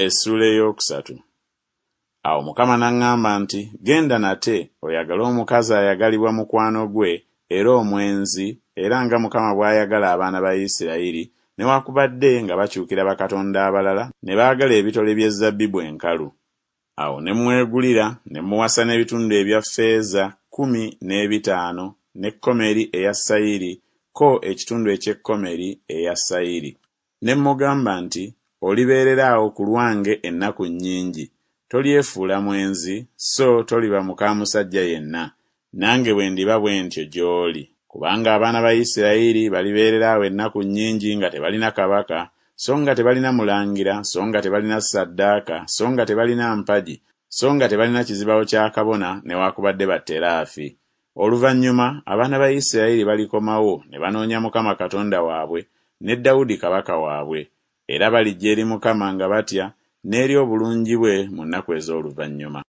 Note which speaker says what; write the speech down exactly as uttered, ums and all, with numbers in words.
Speaker 1: Essuula ey'okusatu. Awo Mukama n'aŋŋamba nti, Genda nate, oyagale omukazi ayagalibwa mukwano gwe, era omwenzi, era nga Mukama bw'ayagala abaana ba Isirayiri, newakubadde nga bakyukira bakatonda abalala ne baagala ebitole by'ezzabbibu enkalu. Awo ne mmwegulira, ne mmuwasa n'ebitundu ebya ffeeza kkumi n'ebitaano ne komeri eya sayiri ko ekitundu eky'ekomeri eya sayiri. Ne mmugamba nti Olibeerera awo ku lwange ennaku nnyingi, tolyefuula mwenzi, so toliba muka musajja yenna, nange bwe ndiba bwe ntyo gy'oli. Kubanga abaana ba Isirayiri balibeerera awo ennaku nnyingi nga tebalina kabaka, so nga tebalina mulangira, so nga tebalina ssaddaaka, so nga tebalina mpagi, so nga tebalina kizibawo kya kabona newakubadde batteraafi. Oluvannyuma abaana ba Isirayiri balikomawo ne banoonya Mukama Katonda waabwe ne Dawudi kabaka waabwe, era balijja eri Mukama nga batya n'eri obulungi bwe mu nnaku ez'oluvannyuma.